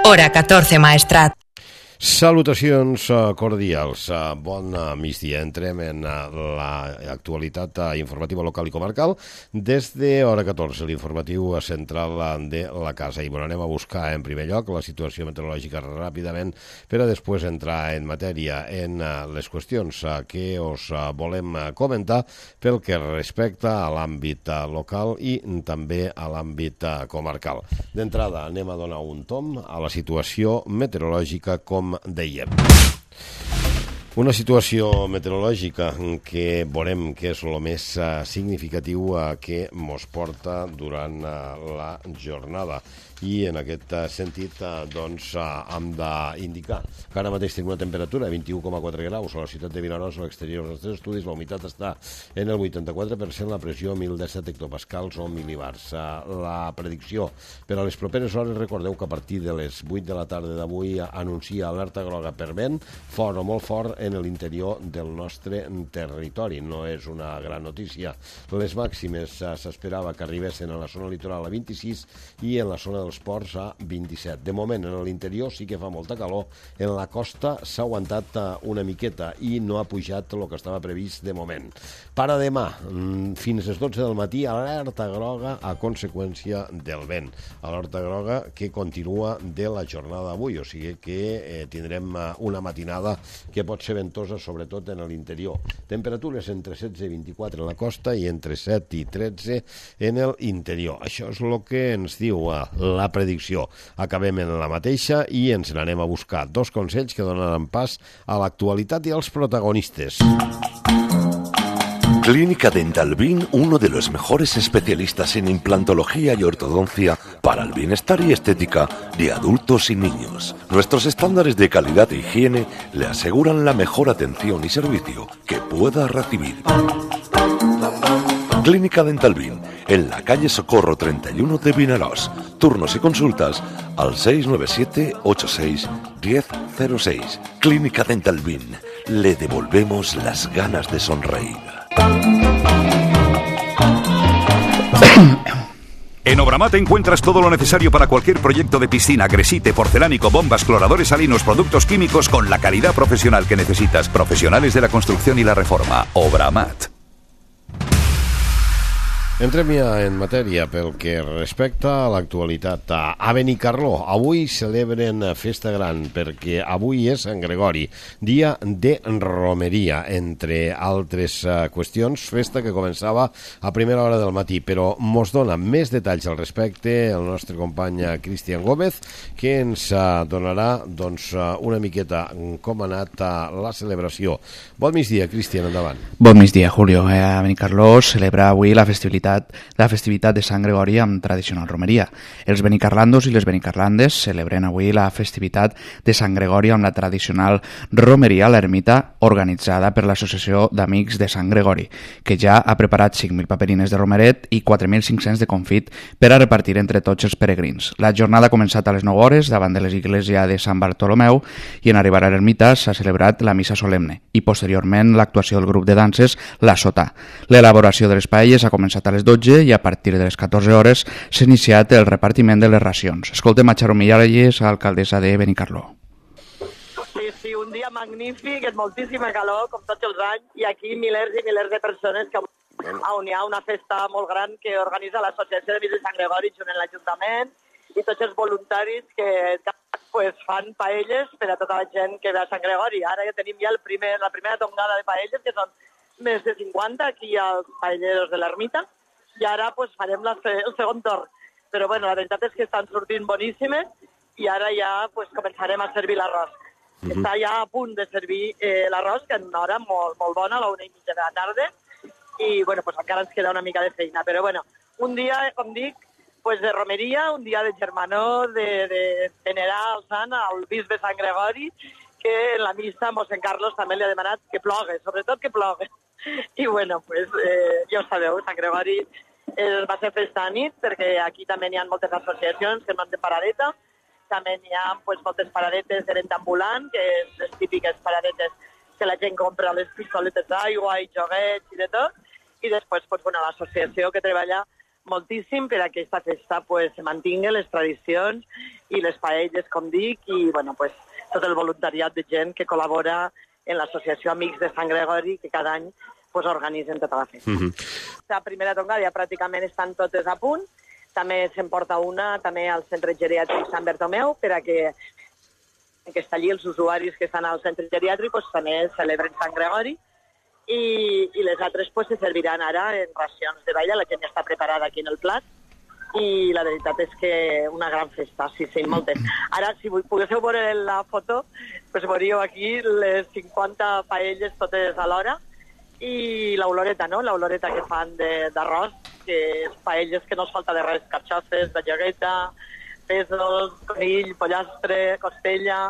Hora 14 Maestrat. Salutacions cordials, bon migdia. Entrem en l'actualitat informativa local i comarcal des de Hora 14, l'informatiu central de la casa. I anem a buscar en primer lloc la situació meteorològica ràpidament per a després entrar en matèria en les qüestions que us volem comentar pel que respecta a l'àmbit local i també a l'àmbit comarcal. D'entrada anem a donar un tomb a la situació meteorològica com dèiem. Una situació meteorològica que veurem que és el més significatiu que mos porta durant la jornada. I en aquest sentit doncs hem d'indicar que ara mateix tenim una temperatura de 21,4 graus a la ciutat de Vinaròs, a l'exterior dels nostres estudis, la humitat està en el 84%, la pressió 1.017 hectopascals o mil·libars. La predicció per a les properes hores, recordeu que a partir de les 8 de la tarda d'avui anuncia alerta groga per vent, fort o molt fort en l'interior del nostre territori. No és una gran notícia. Les màximes s'esperava que arribessin a la zona litoral a 26 i en la zona dels ports a 27. De moment, en l'interior sí que fa molta calor. En la costa s'ha aguantat una miqueta i no ha pujat el que estava previst de moment. Per a demà, fins a les 12 del matí, alerta groga a conseqüència del vent. Alerta groga que continua de la jornada d'avui, o sigui que tindrem una matinada que pot ser ventosa, sobretot en l'interior. Temperatures entre 16 i 24 en la costa i entre 7 i 13 en l'interior. Això és el que ens diu la predicció. Acabem en la mateixa i ens n'anem a buscar dos consells que donaran pas a l'actualitat i als protagonistes. Clínica Dental Bin, uno de los mejores especialistas en implantología y ortodoncia para el bienestar y estética de adultos y niños. Nuestros estándares de calidad e higiene le aseguran la mejor atención y servicio que pueda recibir. Clínica Dental Bin, en la calle Socorro 31 de Vinaròs. Turnos y consultas al 697 86 1006. Clínica Dental Bin, le devolvemos las ganas de sonreír. En Obramat encuentras todo lo necesario para cualquier proyecto de piscina, gresite, porcelánico, bombas, cloradores salinos, productos químicos con la calidad profesional que necesitas. Profesionales de la construcción y la reforma. Obramat. Entrem ja en matèria pel que respecta a l'actualitat. A Benicarló avui celebren festa gran perquè avui és Sant Gregori, dia de romeria, entre altres qüestions, festa que començava a primera hora del matí, però mos dona més detalls al respecte el nostre company Cristian Gómez, que ens donarà doncs, una miqueta com ha anat la celebració. Bon migdia, Cristian, endavant. Bon migdia, Julio. A Benicarló celebra avui la festivitat de Sant Gregori amb tradicional romeria. Els benicarlandos i les benicarlandes celebren avui la festivitat de Sant Gregori amb la tradicional romeria a l'ermita organitzada per l'Associació d'Amics de Sant Gregori, que ja ha preparat 5.000 paperines de romeret i 4.500 de confit per a repartir entre tots els peregrins. La jornada ha començat a les 9 hores davant de l'església de Sant Bartolomeu i en arribar a l'ermita s'ha celebrat la missa solemne i posteriorment l'actuació del grup de danses La Sotà. L'elaboració de les paelles ha començat a les 12 i a partir de les 14 hores s'ha iniciat el repartiment de les racions. Escoltem a Charo Miralles, alcaldessa de Benicarló. Sí, un dia magnífic, és moltíssima calor, com tots els anys, i aquí milers i milers de persones que on hi ha una festa molt gran que organitza l'Associació d'Amics de Sant Gregori junt amb l'Ajuntament i tots els voluntaris que fan paelles per a tota la gent que ve a Sant Gregori. Ara ja tenim ja la primera tongada de paelles, que són més de 50 aquí als paelleros de l'ermita, i ara farem el segon torn. Però la veritat és que estan sortint boníssimes i ara ja començarem a servir l'arròs. Està ja a punt de servir l'arròs, que en una hora molt, molt bona, a la 1:30 de la tarda, i encara ens queda una mica de feina. Però un dia, com dic, de romeria, un dia de germanor, de venerar el sant, al bisbe Sant Gregori, que en la missa mossèn Carlos també li ha demanat que plogui, sobretot que plogui. I ja ho sabeu, Sant Gregori va ser festa a nit, perquè aquí també hi ha moltes associacions que no han de paradeta, també hi ha moltes paradetes de venda ambulant, que és les típiques paradetes que la gent compra les pistoletes d'aigua i joguets i de tot, i després l'associació que treballa moltíssim per a que aquesta festa pues, se mantingui les tradicions i les paelles, com dic, i bueno, pues, tot el voluntariat de gent que col·labora en l'associació Amics de Sant Gregori, que cada any pues, organitzen tota la festa. La primera tongada ja pràcticament estan totes a punt. També se'n porta una també al centre geriàtric Sant Bertomeu per a que està allí els usuaris que estan al centre geriàtric pues, també celebren Sant Gregori i les altres pues, se serviran ara en racions de balla, la gent ja està preparada aquí en el plat i la veritat és que una gran festa, sí, moltes. Ara, si poguéssiu veure la foto, pues, veuríeu aquí les 50 paelles totes alhora i l'oloreta, no? L'oloreta que fan d'arròs, que és paelles que no es falta de res, carxofes, de llogueta, pèsols, conill, pollastre, costella...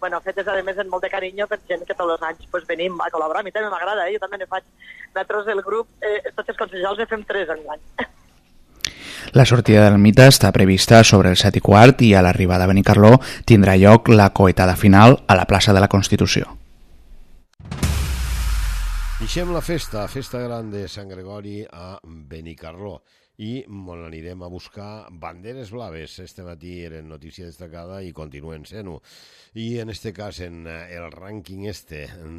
Bueno, fetes, a més, amb molt de carinyo per gent que tots els anys pues, venim a col·laborar. A mi també m'agrada, jo també ne faig. Nosaltres, el grup, tots els consellers ne fem 3 en l'any. La sortida del mite està prevista sobre el 7:15 i a l'arribada a Benicarló tindrà lloc la coetada final a la plaça de la Constitució. Deixem la festa gran de Sant Gregori a Benicarló i on anirem a buscar banderes blaves. Este matí eren notícia destacada i continuen sent-ho. I en este cas, en el rànquing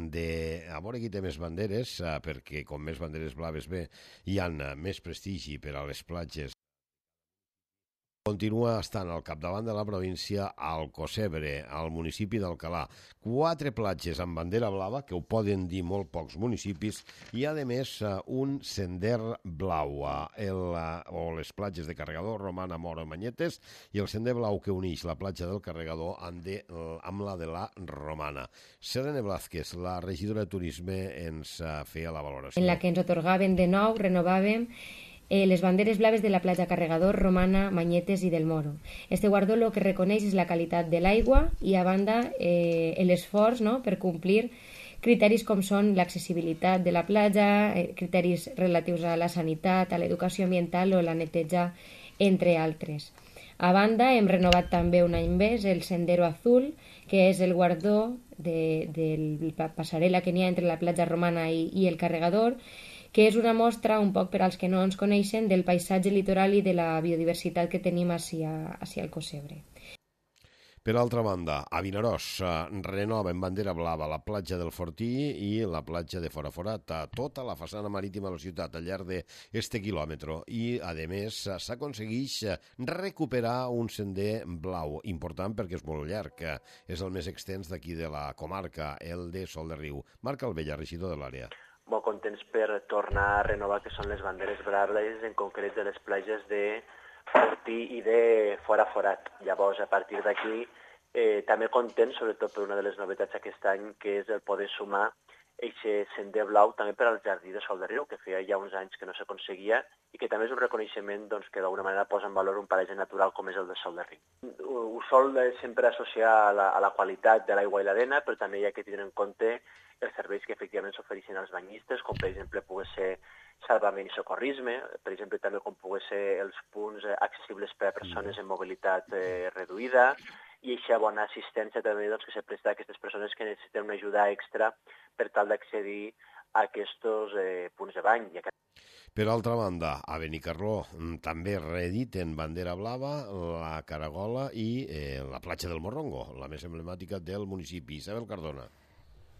de a veure qui té més banderes, perquè com més banderes blaves ve, hi ha més prestigi per a les platges. Continua estant al capdavant de la província al Cosebre, al municipi d'Alcalà. 4 platges amb bandera blava, que ho poden dir molt pocs municipis, i a més un sender blau, o les platges de Carregador, Romana, Moro, Manyetes, i el sender blau que uneix la platja del Carregador amb la de la Romana. Selene Blázquez, la regidora de Turisme, ens feia la valoració. En la que ens otorgaven de nou, renovàvem les banderes blaves de la platja Carregador, Romana, Manyetes i del Moro. Este guardó lo que reconeix és la qualitat de l'aigua i, a banda, l'esforç, no?, per complir criteris com són l'accessibilitat de la platja, criteris relatius a la sanitat, a l'educació ambiental o la neteja, entre altres. A banda, hem renovat també un any més el Sendero Azul, que és el guardó de la passarel·la que n'hi ha entre la platja Romana i el Carregador, que és una mostra, un poc per als que no ens coneixen, del paisatge litoral i de la biodiversitat que tenim hacia el Cosebre. Per altra banda, a Vinaròs renova en bandera blava la platja del Fortí i la platja de Foraforat, tota la façana marítima de la ciutat al llarg d'este quilòmetre. I, a més, s'aconsegueix recuperar un sender blau, important perquè és molt llarg, és el més extens d'aquí de la comarca, el de Sol de Riu. Marc Albella, regidor de l'àrea. Molt contents per tornar a renovar que són les banderes braves, en concret de les platges de Fortí i de Foraforat. Llavors, a partir d'aquí, també contents, sobretot per una de les novetats aquest any, que és el poder sumar aquest sender blau també per al jardí de Sol de Riu, que feia ja uns anys que no s'aconseguia i que també és un reconeixement doncs, que d'alguna manera posa en valor un paratge natural com és el de Sol de Riu. Ho sol sempre associar a la qualitat de l'aigua i l'arena, però també hi ha que tenir en compte els serveis que efectivament s'ofereixen als banyistes, com per exemple pugui ser salvament i socorrisme, per exemple també com pugui ser els punts accessibles per a persones amb mobilitat reduïda, i aquesta bona assistència també doncs, que se presta a aquestes persones que necessiten una ajuda extra per tal d'accedir a aquests punts de bany. Per altra banda, a Benicarló també reediten bandera blava, la Caragola i la platja del Morrongo, la més emblemàtica del municipi. Isabel Cardona.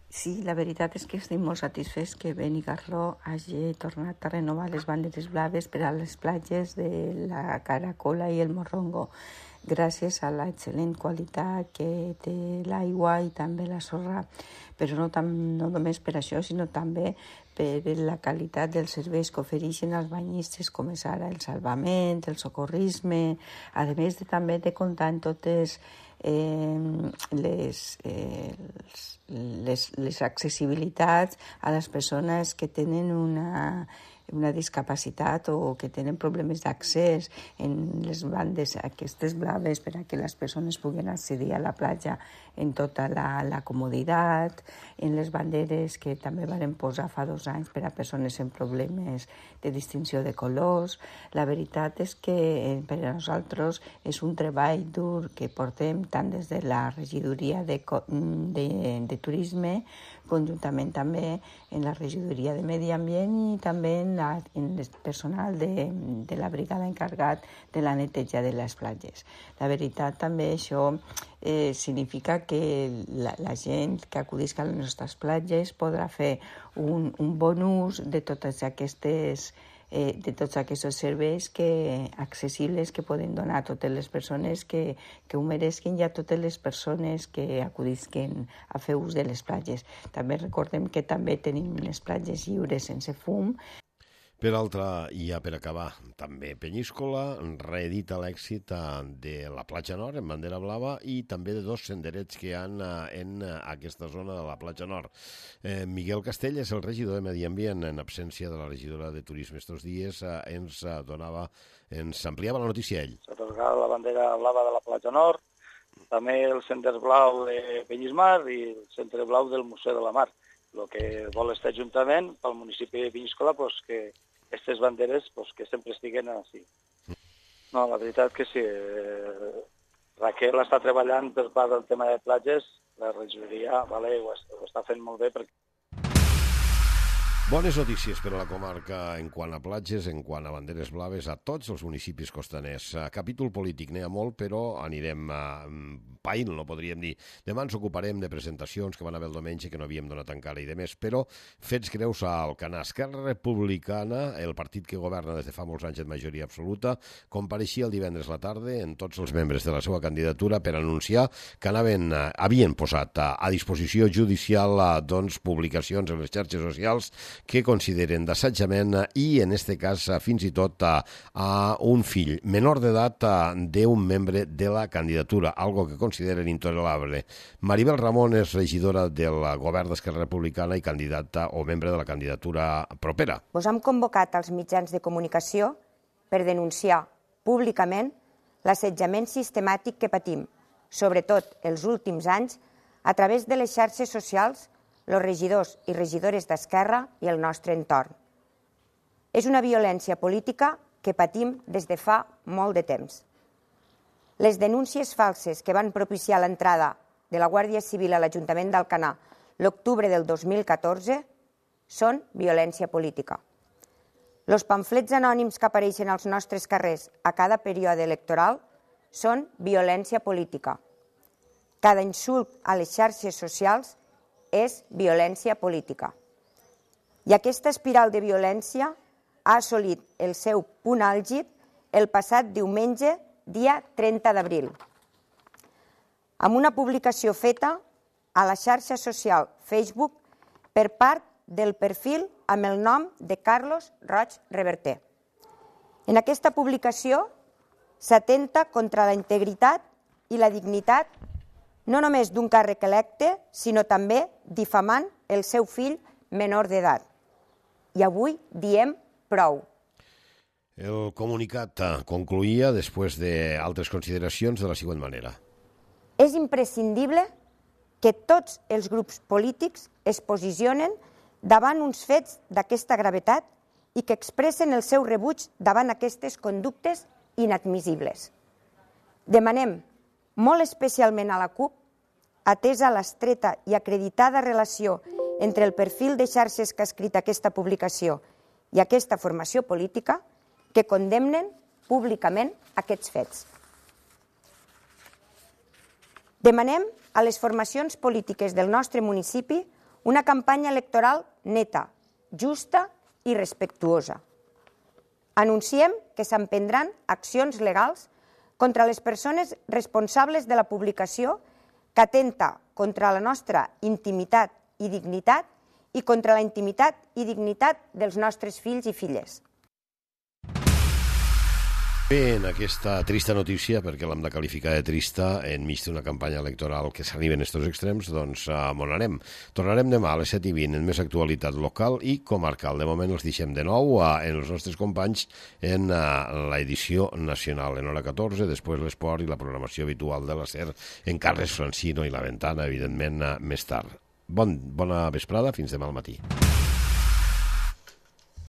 Sí, la veritat és que estic molt satisfets que Benicarló hagi tornat a renovar les banderes blaves per a les platges de la Caracola i el Morrongo, gràcies a l'excel·lent qualitat que té l'aigua i també la sorra, però no només per això, sinó també per la qualitat dels serveis que ofereixen als banyistes, com és ara el salvament, el socorrisme, a més també de comptar en totes les accessibilitats a les persones que tenen una discapacitat o que tenen problemes d'accés en les bandes aquestes blaves per a que les persones puguin accedir a la platja en tota la comoditat, en les banderes que també van posar fa 2 anys per a persones amb problemes de distinció de colors. La veritat és que per a nosaltres és un treball dur que portem tant des de la regidoria de turisme, conjuntament també en la regidoria de medi ambient i també en en el personal de la brigada encarregat de la neteja de les platges. La veritat també això significa que la gent que acudisca a les nostres platges podrà fer un bon ús de totes aquestes de tots aquests serveis accessibles que poden donar a totes les persones que ho meresquin i a totes les persones que acudisquen a fer ús de les platges. També recordem que també tenim les platges lliures sense fum. Per altra, i ja per acabar, també Penyíscola reedita l'èxit de la platja nord en bandera blava i també de 2 senderets que hi ha en aquesta zona de la platja nord. Miguel Castell és el regidor de Medi Ambient, en absència de la regidora de Turisme estos dies, ens ampliava la notícia ell. S'ha atorgat la bandera blava de la platja nord, també el sender blau de Penyismar i el centre blau del Museu de la Mar. El que vol este Ajuntament, pel municipi de Penyíscola, que aquestes banderes que sempre estiguen així. No, la veritat que sí. Raquel està treballant per part del tema de platges, la regidoria ho està fent molt bé perquè... Bones notícies per a la comarca en quant a platges, en quant a banderes blaves a tots els municipis costaners. Capítol polític n'hi ha molt, però anirem païl, no podríem dir. Demà ens ocuparem de presentacions que van haver el diumenge que no havíem donat encara i de més, però fets greus a Alcanar. Esquerra Republicana, el partit que governa des de fa molts anys en majoria absoluta, compareixia el divendres a la tarda en tots els membres de la seva candidatura per anunciar que havien posat a disposició judicial publicacions en les xarxes socials que consideren d'assetjament i, en aquest cas, fins i tot a un fill menor d'edat d'un membre de la candidatura, algo que consideren intolerable. Maribel Ramon és regidora del govern d'Esquerra Republicana i candidata o membre de la candidatura propera. Us hem convocat als mitjans de comunicació per denunciar públicament l'assetjament sistemàtic que patim, sobretot els últims anys, a través de les xarxes socials, els regidors i regidores d'Esquerra i el nostre entorn. És una violència política que patim des de fa molt de temps. Les denúncies falses que van propiciar l'entrada de la Guàrdia Civil a l'Ajuntament d'Alcanar l'octubre del 2014 són violència política. Els pamflets anònims que apareixen als nostres carrers a cada període electoral són violència política. Cada insult a les xarxes socials és violència política. I aquesta espiral de violència ha assolit el seu punt àlgid el passat diumenge, dia 30 d'abril, amb una publicació feta a la xarxa social Facebook per part del perfil amb el nom de Carlos Roig Reverter. En aquesta publicació s'atenta contra la integritat i la dignitat no només d'un càrrec electe, sinó també difamant el seu fill menor d'edat. I avui diem prou. El comunicat concluïa, després d'altres consideracions, de la següent manera. És imprescindible que tots els grups polítics es posicionen davant uns fets d'aquesta gravetat i que expressen el seu rebuig davant aquestes conductes inadmissibles. Demanem molt especialment a la CUP, atesa l'estreta i acreditada relació entre el perfil de xarxes que ha escrit aquesta publicació i aquesta formació política, que condemnen públicament aquests fets. Demanem a les formacions polítiques del nostre municipi una campanya electoral neta, justa i respectuosa. Anunciem que s'emprendran accions legals contra les persones responsables de la publicació que atenta contra la nostra intimitat i dignitat i contra la intimitat i dignitat dels nostres fills i filles. Bé, en aquesta trista notícia, perquè l'hem de qualificar de trista, enmig d'una campanya electoral que s'arriba en aquests extrems, doncs on anem. Tornarem demà a les 7:20 en més actualitat local i comarcal. De moment els deixem de nou en els nostres companys en l'edició nacional en hora 14, després l'esport i la programació habitual de la SER en Carles Francino i la Ventana, evidentment, més tard. Bona vesprada, fins demà al matí.